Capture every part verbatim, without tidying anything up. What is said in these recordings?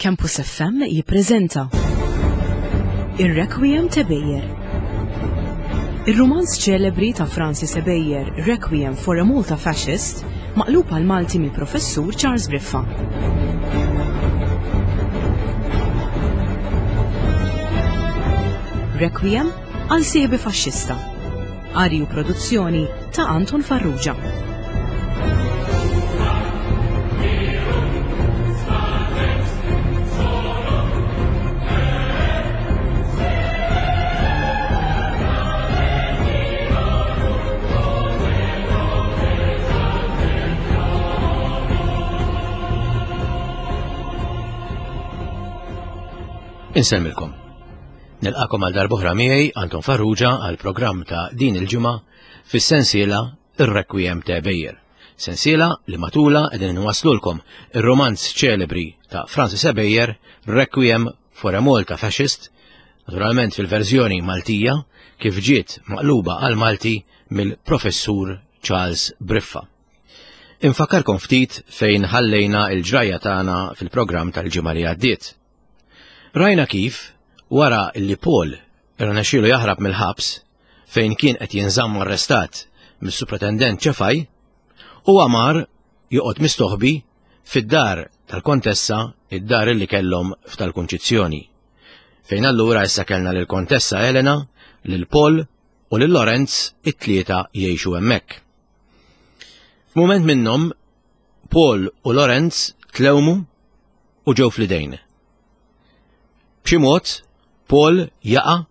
Campus F M jippreżenta Ir-Requiem t'Ebejer. Ir-rumanz ċelebri ta' Francis Ebejer, Requiem for a Malta Fascist, maqlub għal Malti mill-Professur Charles Briffa. Requiem għal sieħbi faxxista. Qari u produzzjoni ta' Anton Farrugia. Insemmilkom. Nilqakom għal darb'oħra miegħi Anton Farrugia għal programm ta' din il-ġimgħa fis-sensiela Ir-Requiem ta' Ebejer. Sensiela li matula qegħdin nwaslulkom ir-romanz ċelebri ta' Francis Ebejer, Requiem for a Malta Fascist, naturalment fil-verżjoni Maltija kif ġiet maqluba għal Malti mill-Professur Charles Briffa. Infakkarkom ftit fejn ħallejna il-ġrajja tagħna fil-programm tal-ġimgħa li għaddiet. Rajna kif, wara li Paul irnexxielu jaħrab mill-ħabs fejn kien qed jinżamm arrestat mis-Supretendent Ċefaj, huwa mar joqgħod mistoħbi fid-dar tal-Kontessa, id-dar li kellhom f'tal-Kunċizzjoni. Fejn allura issa kellna lill-Kontessa Elena, lil Paul u lil Lorenz it-tlieta jgħixu hemmhekk. F'mument minnhom Paul u Lorenz tlewmu u ġew fl-idejn. B'xi mod, Paul jaqa'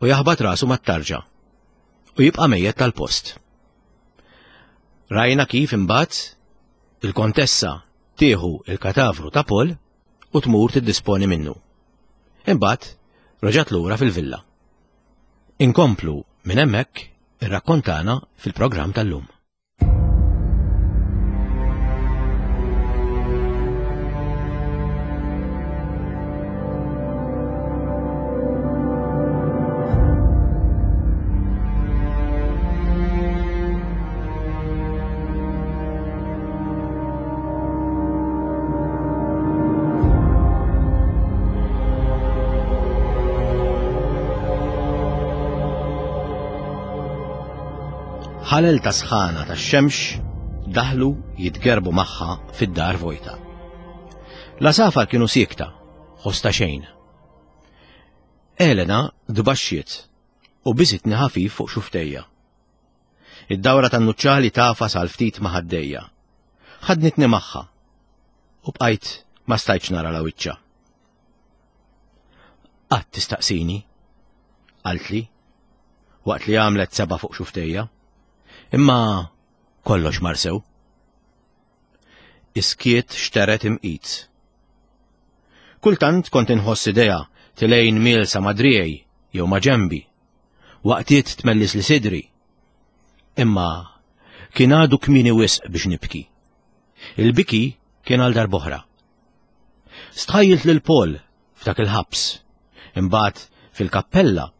u jaħbat rasu mat-tarġa u jibqa' mejjet tal-post. Rajna kif imbagħad il-kontessa tieħu il-katavru ta' Paul u tmur tiddisponi minnu. Imbagħad reġgħet lura fil-villa. Inkomplu minn hemmhekk irrakkontana fil-programm tal-lum. Ħalel ta' sħana ta' xemx daħlu jitgerbu magħha fid-dar vojta. L-għasafar kienu siekta, ħosta xejn. Elena dbaxxiet u biżitni ħafif fuq xuftejja. Id-dawra tan-nuċċali tafas għal ftit ma' ħaddejja. Ħadnitni magħha u bqajt ma stajtx nara la wiċċa. Qatt tistaqsini, qaltli, waqt li għamlet seba' fuq xuftejja. Imma kollox mar sew. Iskiet xteret imqit. Kultant kont inħoss idea tilejn mil sa madrijej jew ma ġembi, waqtiet tmellis li sidri. Imma kien għadu kmieni wisq biex nibki. Il-biki kien għal darb'oħra. Stħajjilt lil Paul f'dak il-ħabs, imbagħad fil-kappella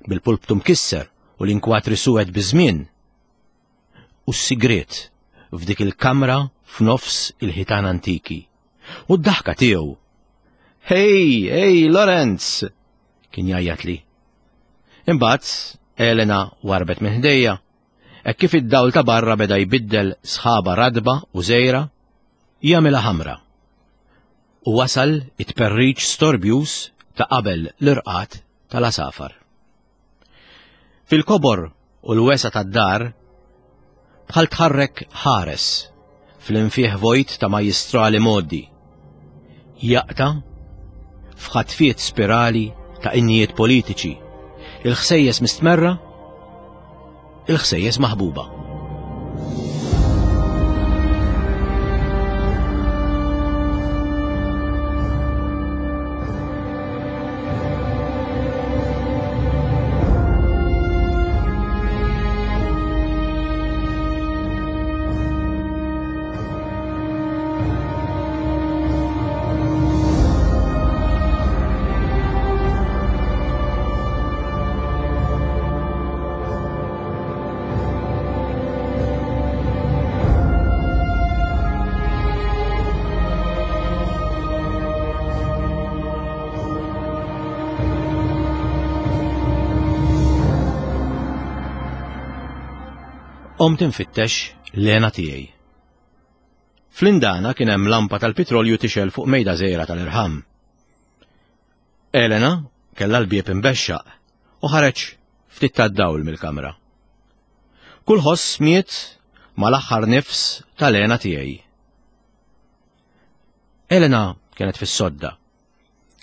bil-pulptu mkisser u l-inkwatri suwed biż-żmien. U s-sigriet f'dik il-kamra f'nofs il-ħitan antiki. U d-daħka tiegħu. Hey, hey, Lorenz! Kien jgħajjat li. Imbagħad Elena warbet minn ħdejja, hekk kif id-dawl ta' barra beda jbiddel sħaba radba u żejra, jagħmilha ħamra. U wasal it-perriċ storbjus ta' qabel l-irqat tal-asafar. Fil-kobor u l-wesa tad-dar bħal tħarrek ħares fl-infieħ vojt ta' majistrali moddi. Jaqta' f'ħatfiet spirali ta' innijiet politiċi, il-ħsejjes mistmerra, il-ħsejjes maħbuba. Qomt infittex l-hena tiegħi. Fl-indana kien hemm lampa tal-petrolju tixgħel fuq mejda żgħira tal-irħam. Elena kellha l-bieb imbexxaq u ħareġ ftit tad-dawl mill-kamra. Kull ħoss miet mal-aħħar nifs tal-hena tiegħi. Elena kienet fis-sodda,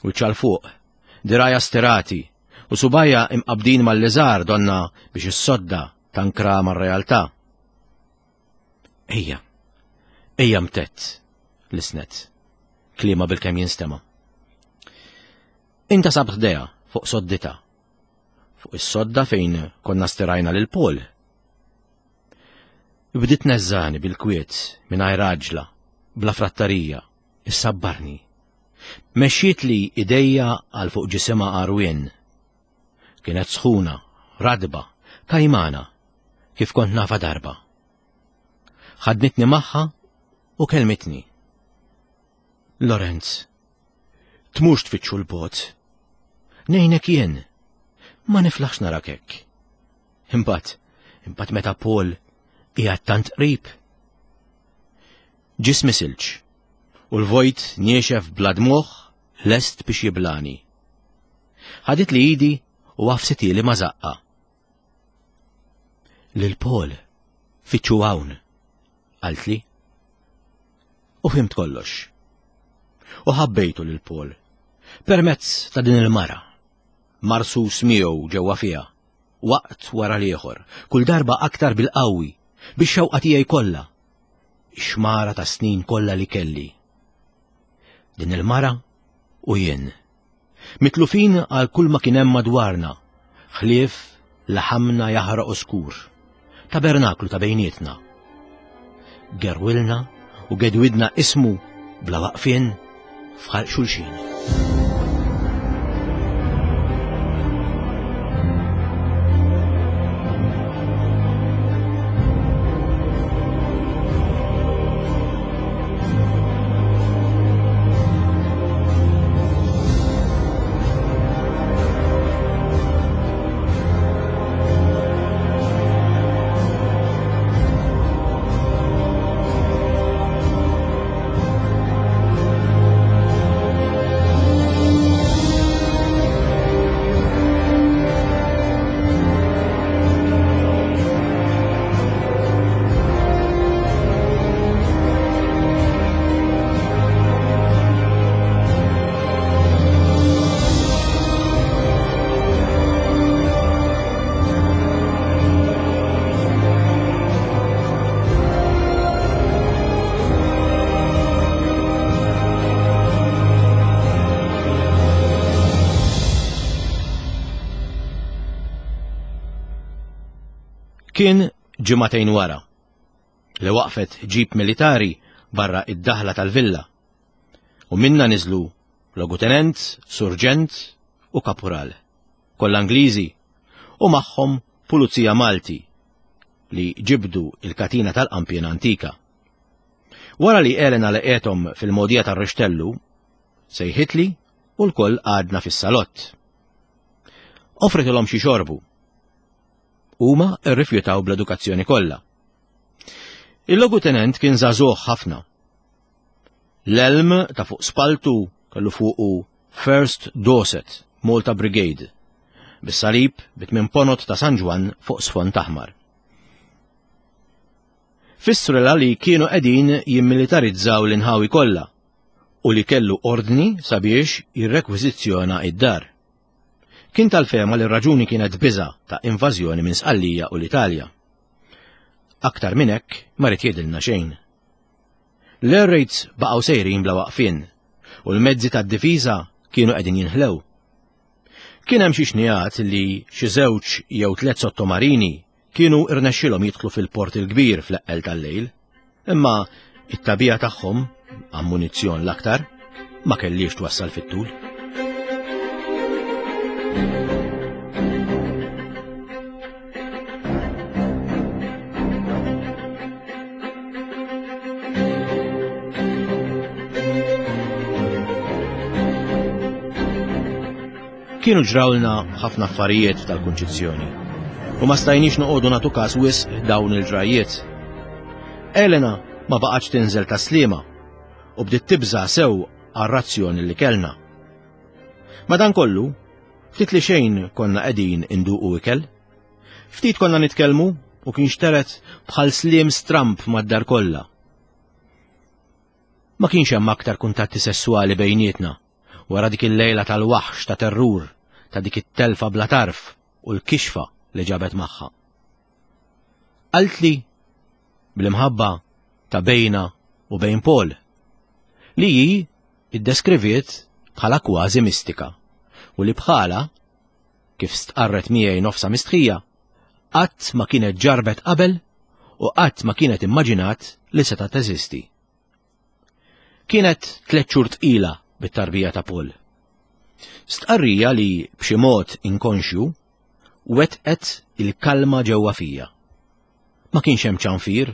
wiċċha 'l fuq, dirgħajha stirati u subgħajha imqabbdin mal-liżar donna biex is-sodda tankra mar-realtà. Ejja, ejja mtett, lisnet, kliemha bil-kemm jinstema'. Intasabt ħdejha fuq soddita, fuq is-sodda fejn konna stirajna lil Paul. Bdiet tneżżagħni bil-kwiet mingħajr għaġla, bla frattarija, issabbarni. Mexxietli idejja għal fuq ġisimha għarwien. Kienet sħuna, radba, kajmana, kif kont nafha darba. Ħadnitni magħha u kelmitni. Lorenz, tmurx tfittxu 'l bogħod. Ngħinek jien, ma niflaħx narak hekk. Imbagħad, imbagħad meta Paul qiegħed tant qrib. Ġismi silġ, u l-vojt niexef bla dmugħ lest biex jiblagħni. Ħaditli idi u għafsithieli ma' żaqqha. Lil Paul, fittxu hawn, qaltli. U fhimt kollox. U ħabbejtu lil Paul. Permezz ta' din il-mara. Marsus miegħu ġewwa fiha, waqt wara l-ieħor, kull darba aktar bil-qawwi, bix-xewqa tiegħi kollha, ix-xmara ta' snin kollha li kelli. Din il-mara u jien. Mitlufin għal kull ma kien hemm madwarna, ħlief laħamna jaħraq oskur, tabernaklu ta' bejnietna. Gerwilna u gedwidna ismu bla waqfien f'ħalq xulxin. Kien ġimagħtejn wara li waqfet ġip militari barra id-daħla tal-villa u minna niżlu logutenent, surġent u kapural, kollha Ingliżi u magħhom pulizija Malti li ġibdu il-katina tal-qampien antika. Wara li Elena laqgħethom fil-mogħdija tar-Rixtellu, sejħitli u lkoll qgħadna fis-salott. Offritilhom xi xorbu. Huma rrifjutaw bl-edukazzjoni kollha. Il-logutenent kien żagħżugħ ħafna. L-elm ta' fuq spaltu kellu fuqu First Dorset, Malta Brigade, bis-salib bit-tmien ponot ta' San Ġwann fuq sfond aħmar. Fissrulha li kienu qegħdin jimmilitarizzaw l-inħawi kollha u li kellu ordni sabiex jirrekwiżizzjona id-dar. Kien tal-fehma li r-raġuni kienet biża ta' invażjoni minn Sqallija u l-Italja. Aktar minn hekk ma ried jgħidilna xejn. L-air raids baqgħu sejrin bla waqfien u l-mezzi tad-difiża kienu qegħdin jinħlew. Kien hemm xi xnigħat li xi żewġ jew tliet sottomarini kienu irnexxilhom jidħlu fil-port il-kbir fl-eqqel tal-lejl, imma it-tagħbija tagħhom, ammunizzjon l-aktar, ma kellhiex twassal fit-tul. Kienu ġrawlna ħafna affarijiet tal-Kunċizzjoni u ma stajniex noqogħdu nagħtu każ wisq dawn il-ġrajiet. Elena ma baqgħetx tinżel Tas-Sliema u bdiet tibża' sew għar-razzjoni li kellna. Madankollu, ftit li xejn konna qegħdin induqu ikel. Ftit konna nitkellmu u kien xteret bħal sliem stramp mad-dar kollha. Ma kienx hemm aktar kuntatti sessuali bejnietna wara dik il-lejla tal-waħx ta' terrur, ta' dik it-telfa bla tarf u l-kixfa li ġabet magħha. Qaltli bl-imħabba ta' bejna u bejn Paul, li hi iddeskriviet bħala kważi mistika u li bħala, kif stqarret miegħi nofsa mistħija, qatt ma kienet ġarbet qabel u qatt ma kienet immaġinat li seta' teżisti. Kienet tliet xhur tqila bit-tarbija ta' Paul. Stqarrija li b'xi mod inkonxju wetqet il-kalma ġewwa fija. Ma kienx hemm ċanfir.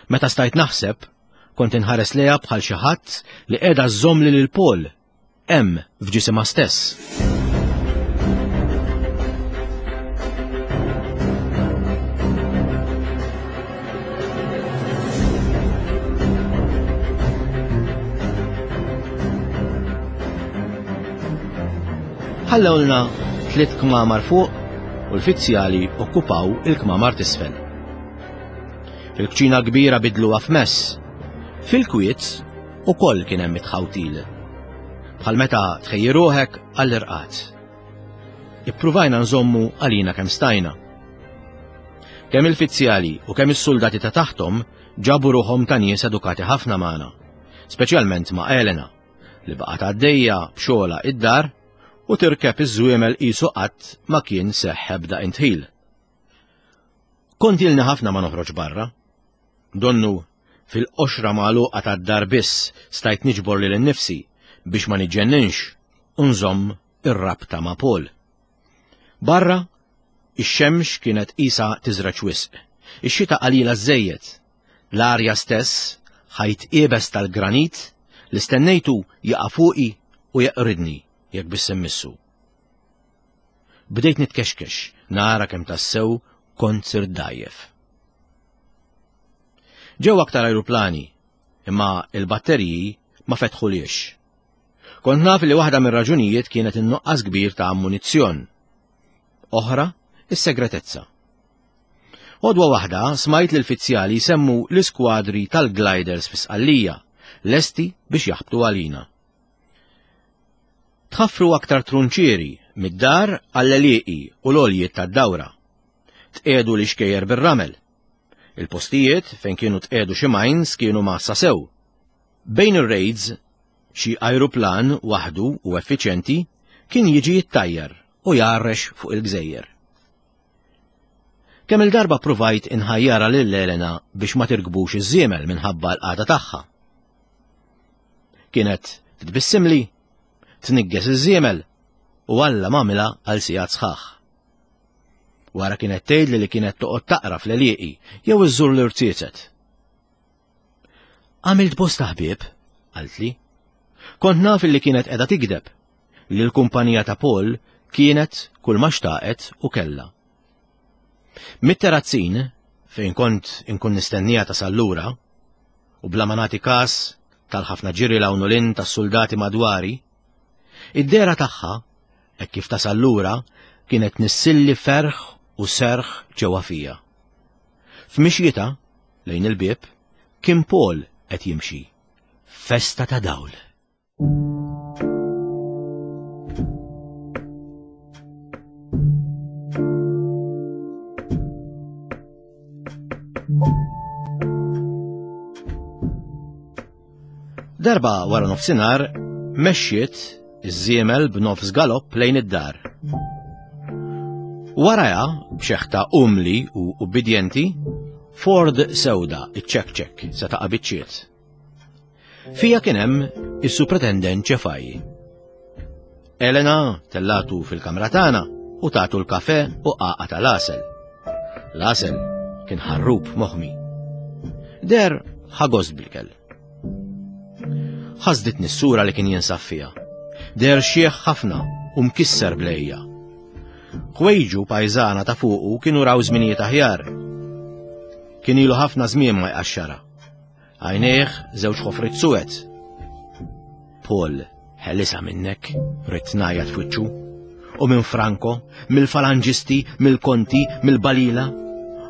Meta stajt naħseb, kont inħares lejha bħal xi ħadd li qiegħda żżommli lil Paul hemm f'ġisimha stess. Ħallewlna tliet kmamar fuq u l-fizzjali okkupaw il-kmamar t'isfel. Il-kċina kbira bidluha f'mess. Fil-kwiet ukoll kien hemm it-tħawtil. Bħal meta tħejji ruħek għall-irqad. Ippruvajna nżommu għalina kemm stajna. Kemm il-fizzjali u kemm is-soldati ta' taħtom ġabu ruħhom ta' nies edukati ħafna magħna, speċjalment ma' Elena, li baqgħet għaddejja b'xogħla id-dar u tirkeb iż-żwiemel qisu qatt ma kien seħħ ebda intħil. Kont ilni ħafna ma noħroġ barra. Donnu fil-qoxra magħluqa tad-dar biss stajt niġbor lil innifsi biex ma niġġenninx u nżomm ir-rabta ma' Paul. Barra, ix-xemx kienet qisha tiżraġ wisq, ix-xita qalila żejjed, l-arja stess ħajt iebes tal-granit li stennejtu jaqa' fuqi u jeqridni jekk biss immissu. Bdejt nitkexkex nara kemm tassew kont sirt dgħajjef. Ġew aktar ajruplani, imma il-batteriji ma fetħuliex. Kont naf li waħda mir-raġunijiet kienet in-nuqqas kbir ta' ammunizzjon. Oħra, is-segretezza. Għodwa waħda smajt li l-fizzjali jsemmu l-iskwadri tal-gliders fi Sqallija, lesti biex jaħbtu għalina. Tħaffru aktar trunċieri mid-dar għall-għelieqi u l-għoljiet tad-dawra. Tqiegħdu l-ixkejjer bir-ramel. Il-postijiet fejn kienu tqiegħdu xi mines kienu massa sew. Bejn ir-raids, xi ajruplan waħdu u effiċjenti kien jiġi jittajjar u jgħarrex fuq il-gżejjer. Kemm il-darba provajt inħajjara lil Elena biex ma tirkbux iż-żiemel minħabba l-qagħda tagħha. Kienet titbissimli, tnigges iż-żiemel u Alla m'għamilha għal sigħat sħaħ. Wara kienet tgħidli li kienet toqgħod taqra fl-għelieqi jew iżżur l-irtietet. Għamilt bosta ħbieb, qaltli. Kont naf li kienet qiegħda tikdeb, li l-kumpanija ta' Paul kienet kull ma xtaqet u kellha. Mit-terrazzin, fejn kont inkun nistennija ta' sallura, u bla ma nagħti każ tal-ħafna ġiri l-hawn u l-in tas-soldati madwari, id-dehra tagħha, hekk kif tasal lura, kienet nissilli ferħ u serħ ġewwa fija. F'mixjita lejn il-bieb kien Paul qed jimxi. Festa ta' dawl. Darba wara nofsinhar mexxiet iż-żiemel b'nofs galopp lejn id-dar. Warajha, b'xeħta umli u ubbidjenti, Ford sewda iċ-ċekċek se taqa' biċċiet. Fija kien hemm is-supretendent Ċefaj. Elena tellatu fil-kamra tagħna u tagħtu l-kafe u qaqa tal-għasel. L-għasel kien ħarrub moħmi. Der ħagost bil-kell. Ħasditni s-sura li kien jinsab fiha. Der xieħ ħafna u mkisser blejja. Ħwejġu pajżana ta' fuqu kienu raw żminijiet aħjar. Kien ilu ħafna żmien ma jqaxxara. Għajnejh żewġ ħofrit suwed. Paul, ħelisa minnek, ridt ngħajjat f'wiċċu. U minn Franco, mill-falanġisti, mill-konti, mill-balila,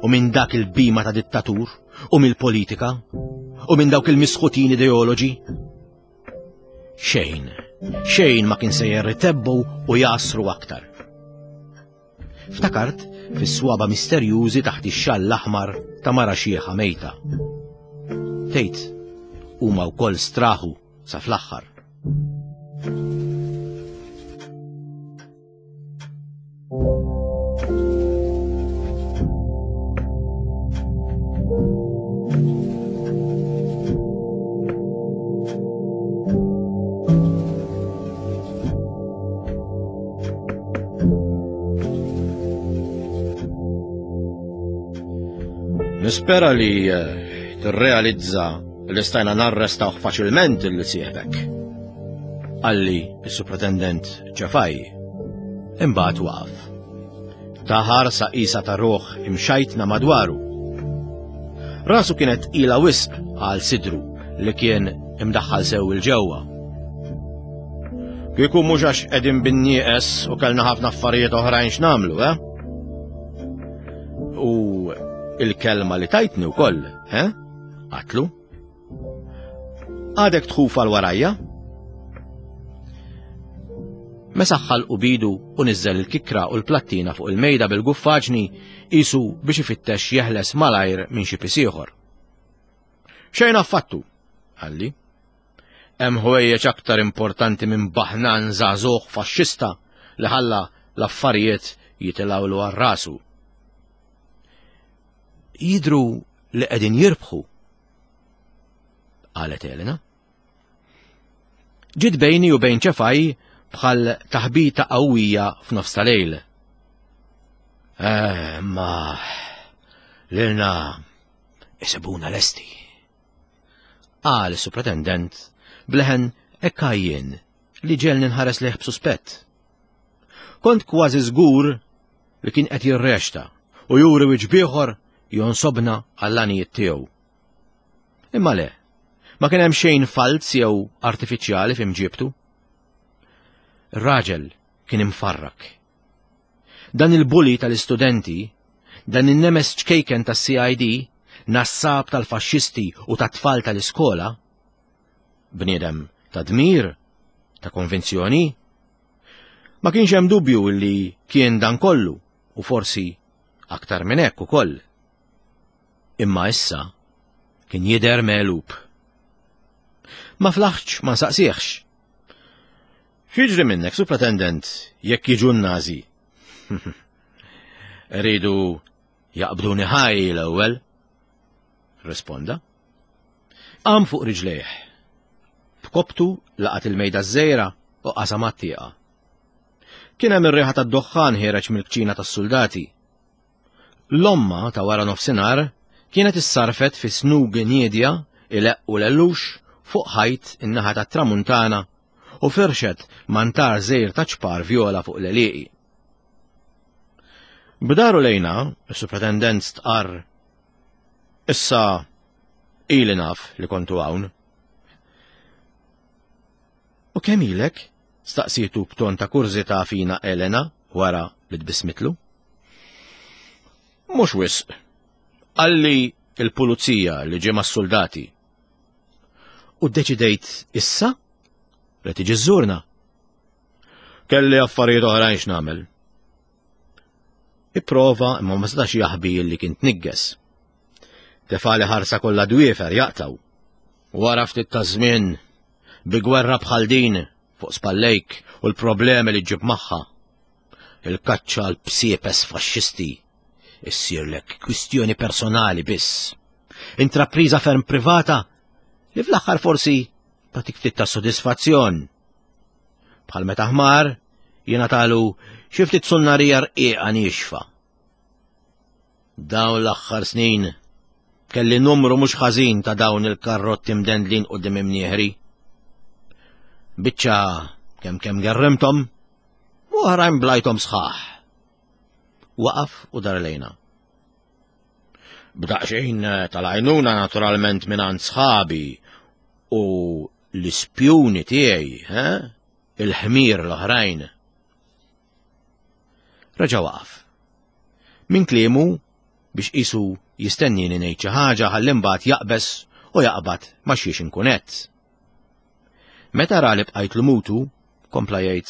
u minn dak il-bima ta' dittatur, u mill-politika, u minn dawk il-misħutin ideoloġi. Xejn, xejn ma kien sejjer itebbu u jasru aktar. Ftakart fis-swaba misterjużi taħt ix-xall l-aħmar ta' mara xieħa mejta. Tgħid, huma wkoll straħu sa fl-aħħar. Nispera li tirrealizza li stajna narrestawh faċilment il sieħbek. Qalli s-supretendent Ċefaj. Imbagħad waqaf. Taħar sa qisha ta' ruħ imxajtna madwaru. Rasu kienet tqila wisq għal sidru li kien imdaħħal sew il-ġewwa. Kieku mhux għax qegħdin bin-nieqes u kellna ħafna affarijiet oħrajn x'nagħmlu, eh? U il-kelma li tajtni wkoll, eh? Qatlu. Għadek tħuf għal warajja? Mesaħħal u bidu u niżżel il-kikra u l-plattina fuq il-mejda bil-guffaġni isu biex ifittex jeħles malajr minn xi pis ieħor. Xejn affattu, qalli. Hemm ħwejjeġ aktar importanti minn baħnan żagħżugħ faxxista li ħalla l-affarijiet jitilgħulu għal rasu. Jidru li qegħdin jirbħu, qalet Elena. Ġiet bejni u bejn Ċefaj bħal taħbita qawwija f'nofs tal-lejl. Eh, ma lilna isibuna lesti, qal is-supretendent bleħen ekkajjien li ġelni nħares lejh b'suspett. Kont kważi żgur li kien qed jirrexta u juri wiċċ bieħor jonsobna għall-għanijiet tiegħu. Imma le, ma kien hemm xejn falz jew artifiċjali f'imġiebtu. Ir-raġel kien imfarrak. Dan il-bully tal-istudenti, dan in-nemes ċkejken tas-C I D, nassab tal-faxxisti u tat-tfal tal-iskola, bniedem ta' dmir, ta' konvinzjoni, ma kienx hemm dubju li kien dan kollu u forsi aktar minn hekk ukoll. Imma issa kien jidher megħlub. Ma flaħx ma nsaqsieħx. X'jiġri minnek, supretendent, jekk jiġu n-Nazi? Ridu jaqbduni ħaj l-ewwel, risponda. Qam fuq riġlejh. B'koptu laqat il-mejda ż-żejra u qasam għat-tieqa. Kien hemm ir-riħa tad-duħħan ħiereġ mill-kċina tas-soldati. L-omma ta' wara nofsinhar kienet issarfet fi snug niedja ileq u lellux fuq ħajt in-naħa tat-tramuntana u firxet mantar żejr ta' ċpar vjola fuq l-għelieqi. B'daru lejna, is-supretendent stqarr, issa ili naf li kontu hawn. U kemm ilek? Staqsietu b'ton ta' kurżità fina Elena wara li tbismitlu. Mhux wisq. Qalli il-pulizija li ġie mas-soldati. U ddeċidejt issa li tiġi żżurna. Kelli affarijiet oħrajn x'nagħmel. Ipprova imma ma setax jaħbi li kien tnigges. Tefali ħarsa kollha dwiefer jaqtaw. Wara ftit ta' żmien bi gwerra bħal din fuq spallejk u l-problemi li ġġib magħha. Il-kaċċa għal bsiepes faxxisti issirlek kwistjoni personali biss. Intrapriża ferm privata li fl-aħħar forsi tagħtik ftit ta' sodisfazzjon. Bħal meta ħmar jingħatalu xi ftit sunnarija rqiqa niexfa. Dawn l-aħħar snin kelli numru mhux ħażin ta' dawn il-karrotti mdendlin quddiem imnieħri. Biċċa kemm kemm gerrimthom u oħrajn blajthom sħaħ. Waqaf u dar lejna. B'daqsxejn tal-għajnuna naturalment mingħand sħabi u l-ispjuni tiegħi, eh? Il-ħmir l-oħrajn. Reġa' waqaf. Min kliemu biex qisu jistennini ngħid xi ħaġa ħalli mbagħad jaqbeż u jaqbad ma xiex inkun qed. Meta ra li bqajt mutu, kompla jgħid: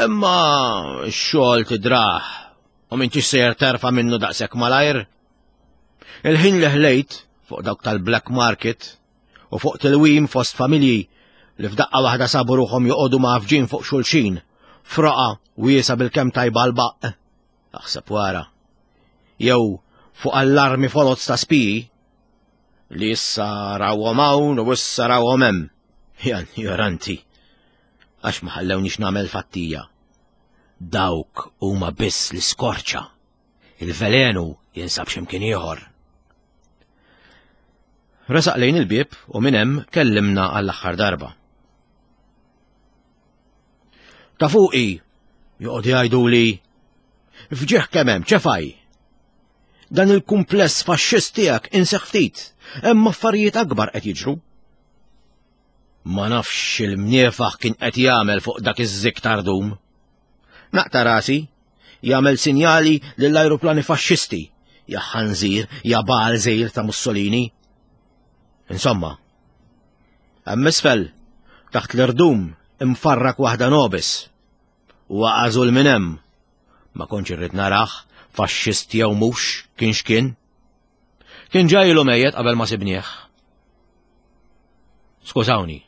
Imma x-xogħol tidrah u m'intix sejjer terfa' minnu daqshekk malajr. Il-ħin li ħlejt fuq dawk tal-black market u fuq tilwim fost familji li f'daqqa waħda sabu ruħhom joqogħdu mgħaffġin fuq xulxin, froqa wiesa bil-kemm tajba l-baqq. Aħseb wara. Jew fuq allarmi foloz ta' spiji li issa rawhom hawn u issa rawhom hemm. Ja ignoranti. Għax ma ħallewniex nagħmel fattija. Dawk huma biss l-iskorċa. Il-velenu jinsab x'imkien ieħor. Resaq lejn il-bieb u minn hemm kellimna għall-aħħar darba. Ta' fuqi joqgħod jgħiduli fġieħ kemm hemm ċefaj. Dan il-kumpless faxxist tiegħek inseħ ftit, hemm affarijiet akbar qed jiġru. Ma nafx il-mniefaħ kien qed jagħmel fuq dak iż-żikk tardum. Naqta' rasi, jagħmel sinjali lill-ajruplani faxxisti, ja ħanżir, ja balżir ta' Mussolini. Insomma, hemm isfel, taħt l-irdum, imfarrak waħda nobis. U għażul minn hemm. Ma kontx irrid narah, faxxist jew mhux, kien x'kien. Kien ġajlu mejjet qabel ma sibnieh. Skużawni.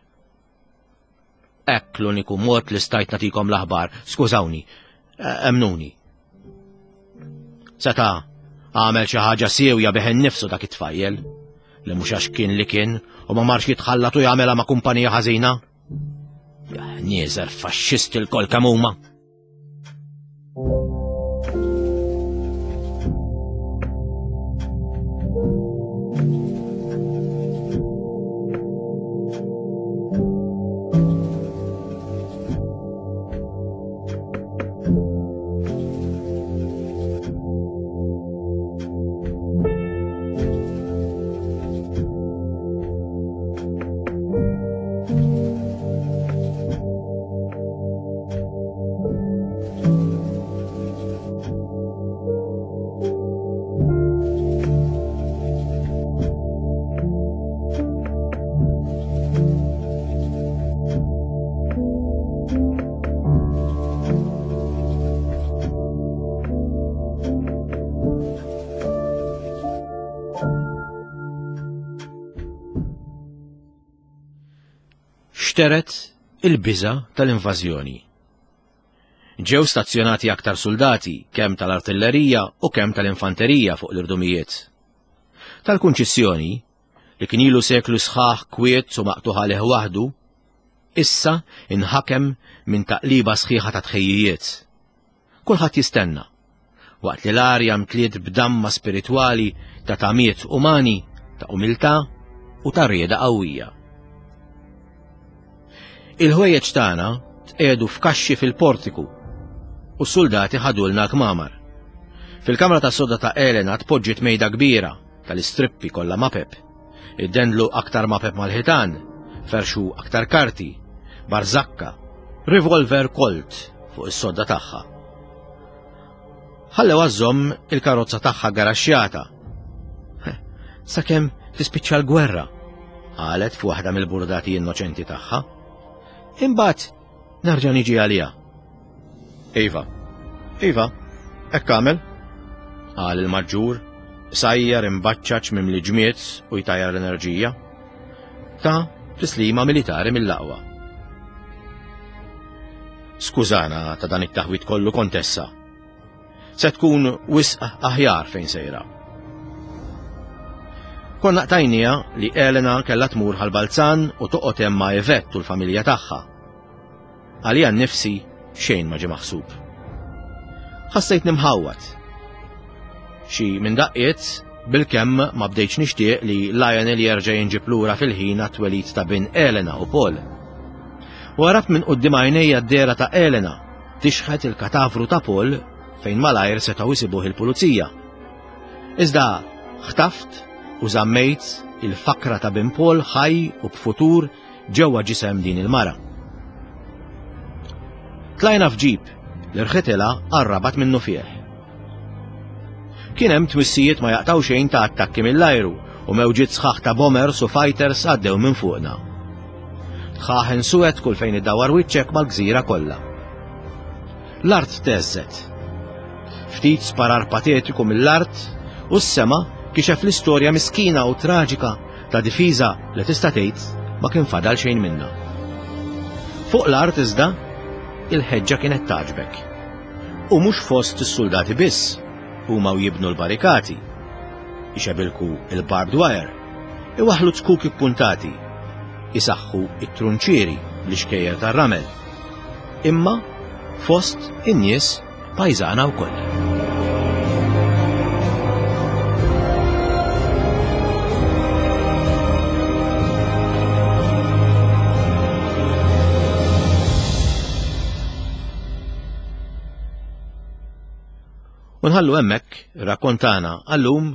Hekk l-uniku mod li stajt nagħtikom l-aħbar, skużawni, emnuni. Seta' għamel xi ħaġa siewja bih innifsu dak it-tfajjel, li mhux għax kien li kien u ma marx jitħallat u jagħmilha ma' kumpanija ħażina. Ja ħnieżer faxxisti lkoll kemm huma. Xteret il-biża tal-invażjoni. Ġew stazzjonati aktar soldati, kemm tal-artillerija u kemm tal-infanterija fuq l-irdumijiet. Tal-kunċissjoni, li kien ilu seklu sħaħ kwiet u maqtuħ għalih waħdu, issa inħakem minn taqliba sħiħa ta' tħejjijiet. Kulħadd jistenna, waqt li l-arja mtliet b'damma spiritwali ta' tamiet umani, ta' umiltà u ta' rieda qawwija. Il-ħwejjeġ tagħna tqiegħdu f'kaxxi fil-portiku u s-soldati ħadulna l-kmamar. Fil-kamra tas-soda ta' Elena tpoġġiet mejda kbira tal-istrippi kollha mapep. Iddendlu aktar mapep mal-ħitan, ferxu aktar karti, barzakka, revolver Colt fuq is-sodda tagħha. Ħallew għażżomm il-karozza tagħha garaxxjata. Sakemm tispiċċa l-gwerra, qalet f'waħda mill-burdati innoċenti tagħha. Imbagħad nerġa' niġi għaliha. Iva, iva, hekk għamel, qal il-maġġur, sajjar imbaċċaċ mimli ġmiet u jtajjar l-enerġija. Ta' tislima militari mill-aqwa. Skużana ta' dan it-taħwit kollu, kontessa. Se tkun wisq aħjar fejn sejra. Konna qtajnija li Elena kellha tmur ħal-Balzan u toqgħod hemm ma' Yvette u l-familja tagħha. Għalija nnifsi xejn ma ġie maħsub. Ħassejt nimħawwad. Xi minn daqqiet bil-kemm ma bdejtx nixtieq li Lionel jerġa' jinġib lura fil-ħin għat-twelid ta' bin Elena u Paul. Warabt minn quddiem għajnejja d-dehra ta' Elena tixħet il-katavru ta' Paul fejn malajr setgħu jsibuh il-pulizija. Iżda ħtaft u żammejt il-fakra ta' Bin Paul ħaj u b'futur ġewwa ġisem din il-mara. Tlajna f'ġip li rħitilha għar-Rabat minnufih. Kien hemm twissijiet ma jaqtgħu xejn ta' attakki mill-ajru u mewġiet sħaħ ta' bombers u fighters għaddew minn fuqna. Dħaħen suwed kull fejn iddawwar wiċċek mal-gżira kollha. L-art theżżet. Ftit sparar patetiku mill-art u s-sema kixef l-istorja miskina u traġika ta' difiża li tista' tgħid ma kien fadal xejn minnha. Fuq l-art iżda il-ħeġġa kienet tagħġbek. U mhux fost is-soldati biss, huma u jibnu l-barrikati. Ixebilku il-barbed wire, iwaħlu zkuk ippuntati, isaħħu it-trunċieri bl-ixkejjer tar-ramel. Imma fost in-nies pajżana wkoll. U nħallu hemmhekk ir-rakkont tagħna għallum,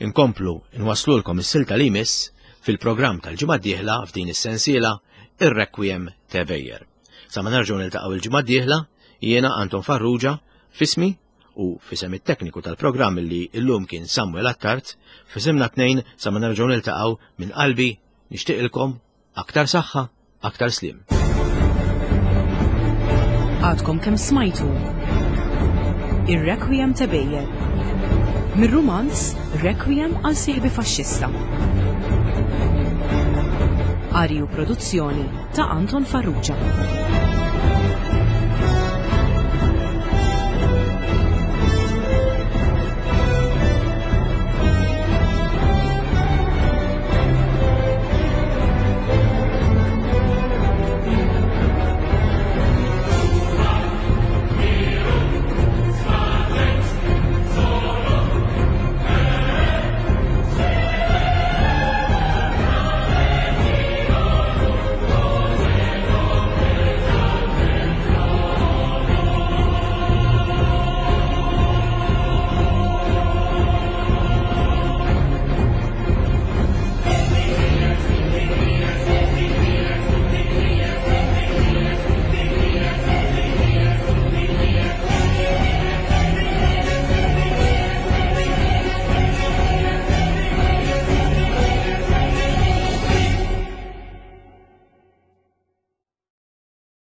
inkomplu nwaslulkom is-silta li jmiss fil-programm tal-ġimgħa d-dieħla f'din is-sensiela Ir-Requiem ta' Ebejer. Sa ma nerġgħu niltaqgħu il-ġimgħa d-dieħla, jiena Anton Farrugia, f'ismi u f'isem it-tekniku tal-programm li llum kien Samuel Attard, f'isimna tnejn sa ma nerġgħu niltaqgħu minn qalbi nixtieqilkom aktar saħħa, aktar sliem. Għadkom kemm smajtu Ir-Requiem ta' Ebejer mir-rumanz Requiem għal sieħbi faxxista. Qari u produzzjoni ta' Anton Farrugia.